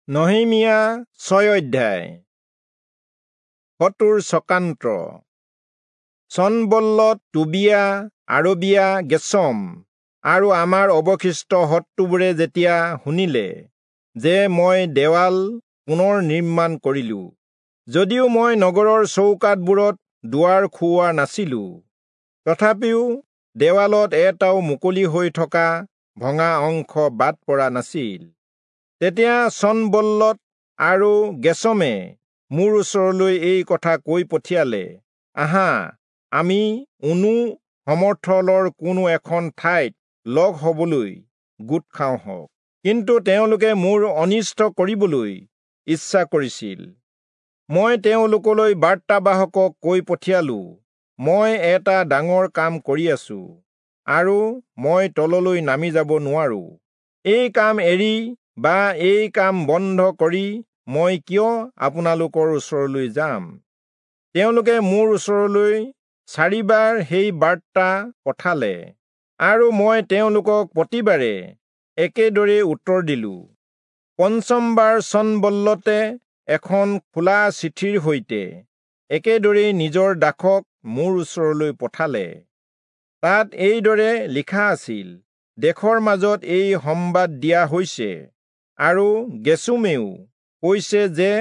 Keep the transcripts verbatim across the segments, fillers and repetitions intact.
নহিমিয়া ছয় অধ্যায়। শত্ৰুৰ চক্ৰান্ত। চনবল্লত, টোবিয়া, আৰবিয়া, গেচম আৰু আমাৰ অৱশিষ্ট শত্ৰুবোৰে যেতিয়া শুনিলে যে মই দেৱাল পুনৰ নিৰ্মাণ কৰিলো, যদিও মই নগৰৰ চৌকাঠবোৰত দুৱাৰ খুওৱা নাছিলো, তথাপিও দেৱালত এটাও মুকলি হৈ থকা ভঙা অংশ বাদ পৰা নাছিল। তেতিয়া চনবল্লত আৰু গেচমে মোৰ ওচৰলৈ এই কথা কৈ পঠিয়ালে, আহা, আমি ওনো সমৰ্থলৰ কোনো এখন ঠাইত লগ হবলৈ গোট খাওঁ হওক। কিন্তু তেওঁলোকে মোৰ অনিষ্ট কৰিবলৈ ইচ্ছা কৰিছিল। মই তেওঁলোকলৈ বাৰ্তাবাহকক কৈ পঠিয়ালো, মই এটা ডাঙৰ কাম কৰি আছো আৰু মই তললৈ নামি যাব নোৱাৰো। এই কাম এৰি বা এই কাম বন্ধ কৰি মই কিয় আপোনালোকৰ ওচৰলৈ যাম? তেওঁলোকে মোৰ ওচৰলৈ চাৰিবাৰ সেই বাৰ্তা পঠালে আৰু মই তেওঁলোকক প্ৰতিবাৰে একেদৰে উত্তৰ দিলো। পঞ্চমবাৰ চনবল্লতে এখন খোলা চিঠিৰ সৈতে একেদৰেই নিজৰ দাসক মোৰ ওচৰলৈ পঠালে। তাত এইদৰে লিখা আছিল, দেশৰ মাজত এই সম্বাদ দিয়া হৈছে আৰু গেচুমেও কৈছে যে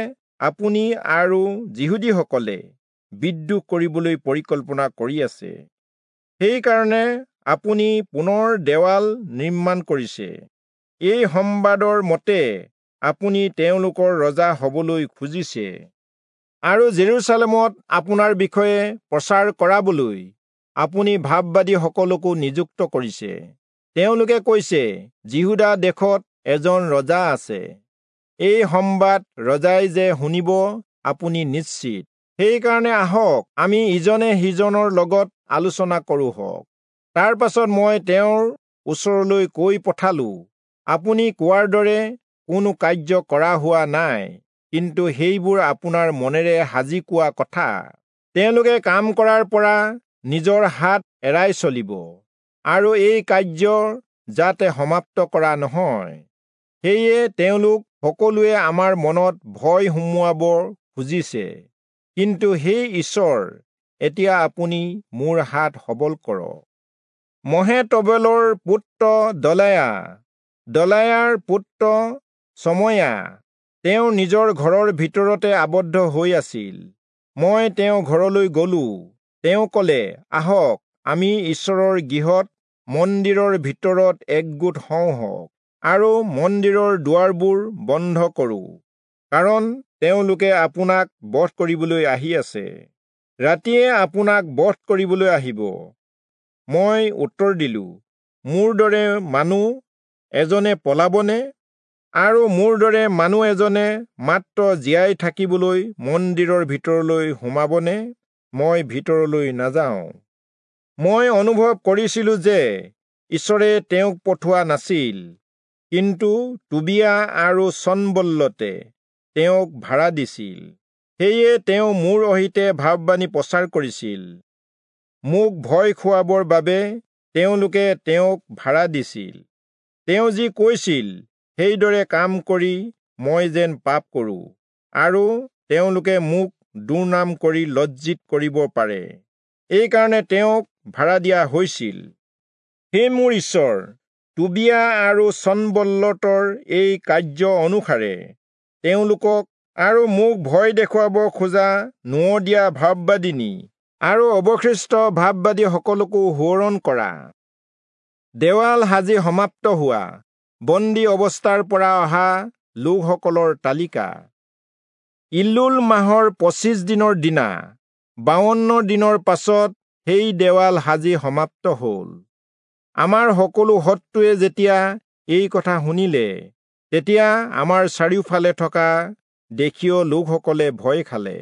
আপুনি আৰু যিহুদীসকলে বিদ্ৰোহ কৰিবলৈ পৰিকল্পনা কৰি আছে, সেইকাৰণে আপুনি পুনৰ দেৱাল নিৰ্মাণ কৰিছে। এই সম্বাদৰ মতে আপুনি তেওঁলোকৰ ৰজা হবলৈ খুজিছে আৰু জেৰুচালেমত আপোনাৰ বিষয়ে প্ৰচাৰ কৰাবলৈ আপুনি ভাববাদীসকলকো নিযুক্ত কৰিছে। তেওঁলোকে কৈছে, যিহূদা দেশত এজন ৰজা আছে। এই সম্বাদ ৰজাই যে শুনিব আপুনি নিশ্চিত। সেইকাৰণে আহক, আমি ইজনে সিজনৰ লগত আলোচনা কৰোঁ হওক। তাৰ পাছত মই তেওঁৰ ওচৰলৈ কৈ পঠালো, আপুনি কোৱাৰ দৰে কোনো কাৰ্য কৰা হোৱা নাই, কিন্তু সেইবোৰ আপোনাৰ মনেৰে সাজি কোৱা কথা। তেওঁলোকে কাম কৰাৰ পৰা নিজৰ হাত এৰাই চলিব আৰু এই কাৰ্য যাতে সমাপ্ত কৰা নহয়। সেয়ে তেওঁলোক সকলোৱে আমাৰ মনত ভয় সুমুৱাব খুজিছে। কিন্তু সেই ঈশ্বৰ, এতিয়া আপুনি মোৰ হাত সবল কৰক। মহেতবেলৰ পুত্ৰ দলায়া, দলায়াৰ পুত্ৰ চময়া, তেওঁ নিজৰ ঘৰৰ ভিতৰতে আবদ্ধ হৈ আছিল। মই তেওঁ ঘৰলৈ গলো। তেওঁ কলে, আহক, আমি ঈশ্বৰৰ গৃহত মন্দিৰৰ ভিতৰত একগোট হওঁ হওক আৰু মন্দিৰৰ দুৱাৰবোৰ বন্ধ কৰোঁ, কাৰণ তেওঁলোকে আপোনাক বধ কৰিবলৈ আহি আছে। ৰাতিয়ে আপোনাক বধ কৰিবলৈ আহিব। মই উত্তৰ দিলো, মোৰ দৰে মানুহ এজনে পলাবনে? আৰু মোৰ দৰে মানুহ এজনে মাত্ৰ জীয়াই থাকিবলৈ মন্দিৰৰ ভিতৰলৈ সোমাবনে? মই ভিতৰলৈ নাযাওঁ। মই অনুভৱ কৰিছিলো যে ঈশ্বৰে তেওঁক পঠোৱা নাছিল, কিন্তু টোবিয়া আৰু চনবল্লতে তেওঁক ভাড়া দিছিল। সেয়ে তেওঁ মোৰ অহিতে ভাববাণী প্ৰচাৰ কৰিছিল। মোক ভয় খুৱাবৰ বাবে তেওঁলোকে তেওঁক ভাড়া দিছিল। তেওঁ যি কৈছিল সেইদৰে কাম কৰি মই যেন পাপ কৰোঁ আৰু তেওঁলোকে মোক দুৰ্নাম কৰি লজ্জিত কৰিব পাৰে, এইকাৰণে তেওঁক ভাড়া দিয়া হৈছিল। হে মোৰ ঈশ্বৰ, টোবিয়া আৰু চনবল্লতৰ এই কাৰ্য অনুসাৰে তেওঁলোকক আৰু মোক ভয় দেখুৱাব খোজা নোৱদিয়া ভাববাদিনী আৰু অৱশিষ্ট ভাববাদীসকলকো সোঁৱৰণ কৰা। দেৱাল সাজি সমাপ্ত হোৱা বন্দী অৱস্থাৰ পৰা অহা লোকসকলৰ তালিকা। ইল্লুল মাহৰ পঁচিছ দিনৰ দিনা বাৱন্ন দিনৰ পাছত সেই দেৱাল সাজি সমাপ্ত হ'ল। আমাৰ সকলো শত্ৰুৱে যেতিয়া এই কথা শুনিলে, তেতিয়া আমাৰ চাৰিওফালে থকা দেশীয় লোকসকলে ভয় খালে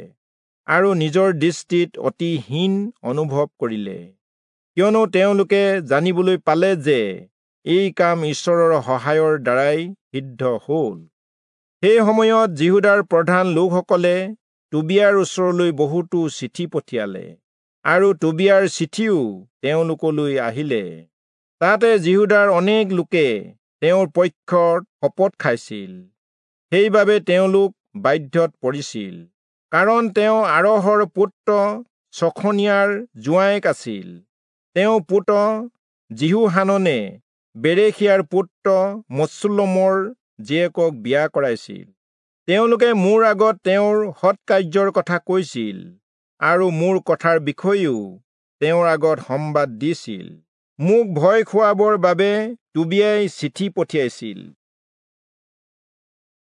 আৰু নিজৰ দৃষ্টিত অতি হীন অনুভৱ কৰিলে, কিয়নো তেওঁলোকে জানিবলৈ পালে যে এই কাম ঈশ্বৰৰ সহায়ৰ দ্বাৰাই সিদ্ধ হ'ল। সেই সময়ত যিহূদাৰ প্ৰধান লোকসকলে টোবিয়াৰ ওচৰলৈ বহুতো চিঠি পঠিয়ালে আৰু টোবিয়াৰ চিঠিও তেওঁলোকলৈ আহিলে। তাতে যিহূদাৰ অনেক লোকে তেওঁৰ পক্ষত শপত খাইছিল। সেইবাবে তেওঁলোক বাধ্যত পৰিছিল, কাৰণ তেওঁ আৰহৰ পুত্ৰ চখনিয়াৰ জোঁৱায়েক আছিল। তেওঁ পুত্ৰ যিহোহাননে বেৰেখিয়াৰ পুত্ৰ মচুল্লমৰ জীয়েকক বিয়া কৰাইছিল। তেওঁলোকে মোৰ আগত তেওঁৰ সৎকাৰ্যৰ কথা কৈছিল আৰু মোৰ কথাৰ বিষয়েও তেওঁৰ আগত সম্বাদ দিছিল। মোক ভয় খুৱাবৰ বাবে টোবিয়াই চিঠি পঠিয়াইছিল।